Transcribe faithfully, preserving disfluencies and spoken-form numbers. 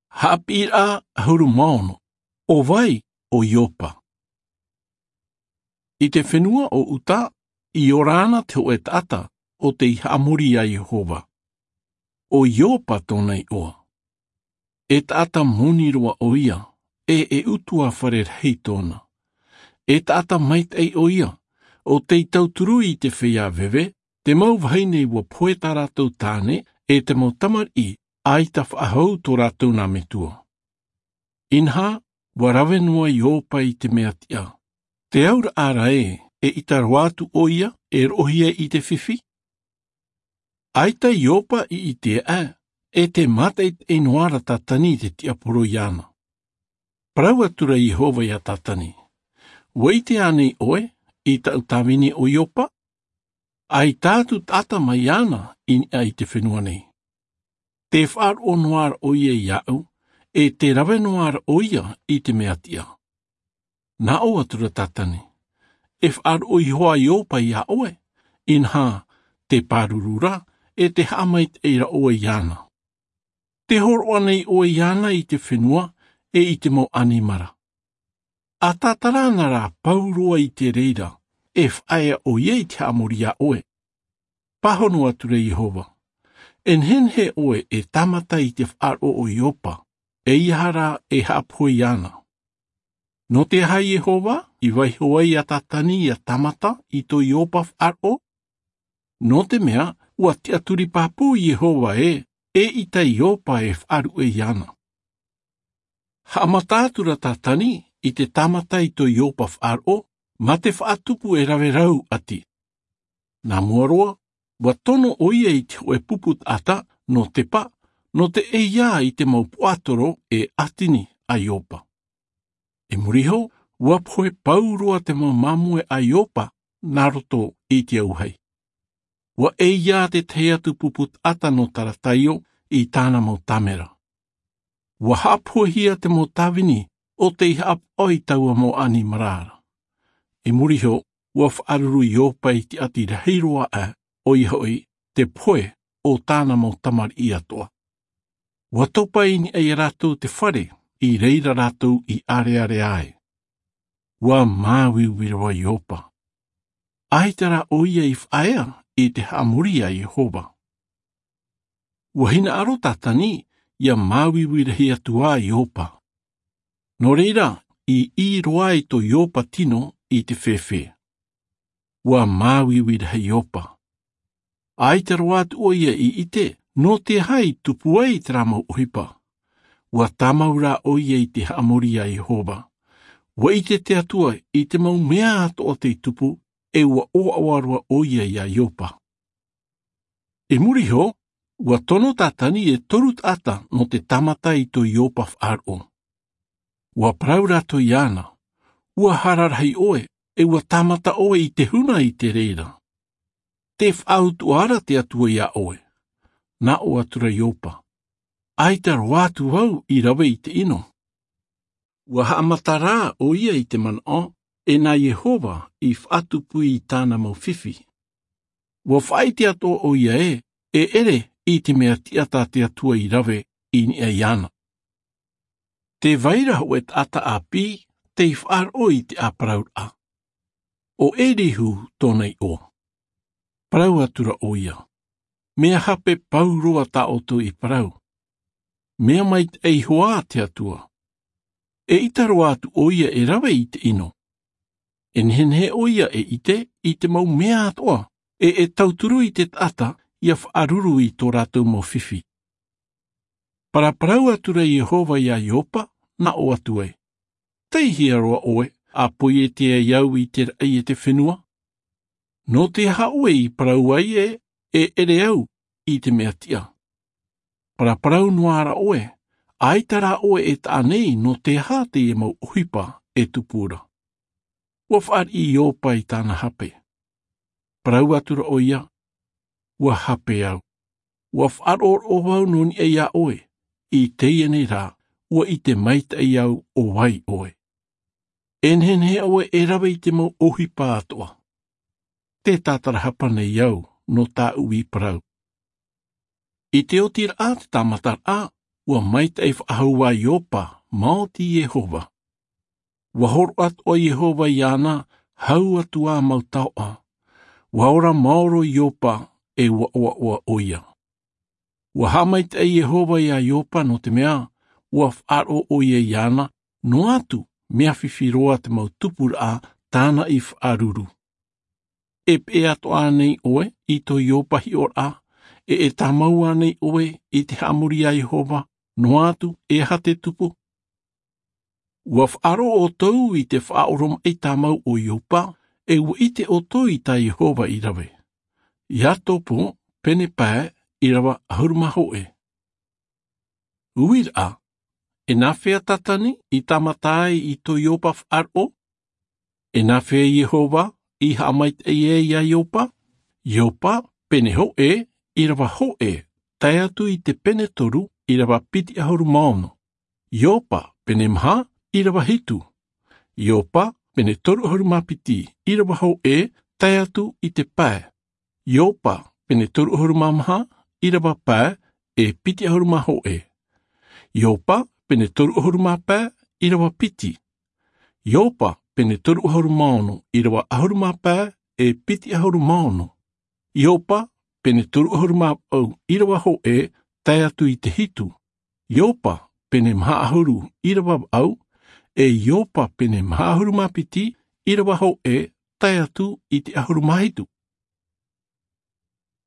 Haʻapiʻiraʻa ʻahuru mā ono. ʻO vai ʻo Iopa? I te fenua o Uta, i ora ana te hōʻē taʻata ʻo tei haʻamori iā Iehova. ʻO Iopa tōna iʻoa. E taʻata moni roa ʻoia, ʻe e ʻutuāfare rahi tōna. E taʻata maitaʻi ʻoia, ʻo tei tauturu i te feiā veve, te mau vahine ʻua pohe tā rātou tāne, ʻe te mau tamariʻi, ʻaita faʻahou tō rātou nā metua. Inaha, ʻua rave noa Iopa i te mea tiʻa. Te auraʻa ra ē, eʻita roa atu ʻoia e roʻohia i te fifi? ʻAita Iopa i ʻite aʻe, e tē mātaʻitaʻi noa ra Tātani i te tiaporo iāna. Parau atu ra Iehova iā Tātani: ʻUa ʻite ānei ʻoe i taʻu tāvini ʻo Iopa? ʻAita atu taʻata mai iāna i niʻa i te fenua nei. Tē faʻaroʻo noa ra ʻoia iāʻu, ʻe tē rave noa ra ʻoia i te mea tiʻa. Nā ʻō atu ra Tātani: E faʻaroʻo iho ā Iopa iā ʻoe, inaha, tē pāruru ra, ʻe tē haʻamaitaʻi ra ʻoe iāna. Tē hōroʻa nei ʻoe iāna i te fenua, ʻe i te mau ʻanimara. ʻA tātara ana rā pauroa i te reira, e faʻaea ʻoia i te haʻamori iā ʻoe. Pāhono atu ra Iehova: E nehenehe ʻoe e tāmata i te faʻaroʻo o Iopa, ʻeiaha rā e haʻapohe iāna. Nō te aha Iehova i vaiiho ai iā Tātani ʻia tāmata i tō Iopa faʻaroʻo? Nō te mea, ʻua tiʻaturi pāpū Iehova ē, eʻita Iopa e faʻaruʻe iāna. Haʻamata atu ra Tātani i te tāmata i tō Iopa faʻaroʻo, mā te faʻatupu e rave rau ʻati. Nā mua roa, ʻua tono ʻoia i te hōʻē pupu taʻata nō Tepa, nō te ʻeiā i te mau puaʻatoro e ʻātini a Iopa. I muri iho, ʻua pohe pauroa te mau māmoe a Iopa nā roto i te auahi. ʻUa ʻeiā te tahi atu pupu taʻata nō Tarataio i tāna mau tāmera. ʻUa haʻapohehia te mau tāvini ʻo tei haʻapaʻo i taua mau ʻanimara ra. I muri iho, ʻua faʻaruru Iopa i te ʻati rahi roa aʻe, ʻoia hoʻi, te pohe o tāna mau tamariʻi atoʻa. ʻUa topa i niʻa ia rātou te fare, i reira rātou i ʻarearea ai. ʻUa māuiui roa Iopa. ʻAita rā ʻoia i faʻaea i te haʻamori a Iehova. ʻUa hinaʻaro Tātani ʻia māuiui rahi atu ā Iopa. Nō reira, i ʻī roa ai tō Iopa tino i te fēfē. ʻUa māuiui rahi Iopa. ʻAita roa atu ʻoia i ʻite nō te aha i tupu ai terā mau ʻohipa. ʻUa tāmau rā ʻoia i te haʻamori a Iehova. ʻUa ʻite te Atua i te mau mea atoʻa tei tupu, ʻe ʻua ʻoaʻoa roa ʻoia iā Iopa. I muri iho, ʻua tono Tātani e toru taʻata nō te tāmata i tō Iopa faʻaroʻo. ʻUa parau rātou iāna: ʻUa hara rahi ʻoe, ʻe ʻua tāmata ʻoe i te huna i te reira. Tē faʻautuʻa ra te Atua iā ʻoe. Nā ʻō atu ra Iopa: ʻAita roa atu vau i rave i te ʻino. ʻUa haʻamata rā ʻoia i te manaʻo, ʻe nā Iehova i faʻatupu i tāna mau fifi. ʻUa faʻaʻite atoʻa ʻoia ē, e ʻere i te mea tiʻa tā te Atua i rave i niʻa iāna. Tē vai ra hōʻē taʻata ʻāpī tei faʻaroʻo i te ʻāparauraʻa. ʻO Elihu tōna iʻoa. Parau atu ra ʻoia: Mea hape pauroa tā ʻoutou i parau. Mea maitaʻi iho ā te Atua. ʻEʻita roa atu ʻoia e rave i te ʻino. E nehenehe ʻoia e ʻite i te mau mea atoʻa, ʻe e tauturu i te taʻata ʻia faʻaruru i tō rātou mau fifi. Paraparau atu ra Iehova iā Iopa, nā ʻō atu ai: Tei hea roa ʻoe, ʻa poiete ai au i te raʻi e te fenua? Nō te aha ʻoe i parau ai ē, e ʻere au i te mea tiʻa? Paraparau noa ra ʻoe, ʻaita rā ʻoe e taʻa nei nō te aha teie mau ʻohipa e tupu ra. ʻUa fāriʻi Iopa i tāna hape. Parau atu ra ʻoia: ʻUa hape au. ʻUa faʻaroʻo vau nō niʻa iā ʻoe, i teie nei rā, ʻua ʻite maitaʻi au ʻo vai ʻoe. E nehenehe ʻoe e rave i te mau ʻohipa atoʻa. Tē tātarahapa nei au nō tāʻu i parau. I te oti ra te tāmataraʻa, ua maitaʻi faʻahou ā iopa. Maoti iehova. Ua horoʻa atoʻa iehova iāna, hau atu ā mau taoʻa. Ua ora maoro iopa, e ua ʻoaʻoa ʻo ia. Ua haʻamaitaʻi iehova iā iopa nō te mea ua faʻaroʻo ʻo ia iāna, noa atu mea fifi roa te mau tupuraʻa tāna i faʻaruru. E peʻe atoʻa ānei ʻoe i tō iopa hiʻoraʻa? E e tāmau ānei ʻoe i te haʻamori iā iehova, noa atu e aha te tupu? Ua faʻaroʻo ʻoutou i te faʻaoromaʻi tāmau o iopa, e ua ʻite ʻoutou i tā iehova i rave. Iakobo pene pae, ʻīrava ʻahuru mā hōʻē. Uiraʻa, e nāfea tātani i tāmata ai i tō iopa faʻaroʻo? E nāfea iehova i haʻamaitaʻi ai iā iopa? Iopa pene hōʻē, ʻīrava hōʻē, tae atu i te pene toru, ʻīrava piti ʻahuru mā ono. Iopa pene maha, ʻīrava hitu. Iopa pene toru ʻahuru mā piti, ʻīrava hōʻē, tae atu i te pae. Iopa pene toru ʻahuru mā maha, ʻīrava pae, e piti ʻahuru mā hōʻē. Iopa pene toru ʻahuru mā pae, ʻīrava piti. Iopa pene toru ʻahuru mā ono, ʻīrava ʻahuru mā pae, e piti ʻahuru mā ono. Iopa pene toru ʻahuru mā vaʻu, ʻīrava hōʻē, tae atu i te hitu. Iopa pene maha ʻahuru, ʻīrava vaʻu, e iopa pene maha ʻahuru mā piti, ʻīrava hōʻē, tae atu i te ʻahuru mā hitu.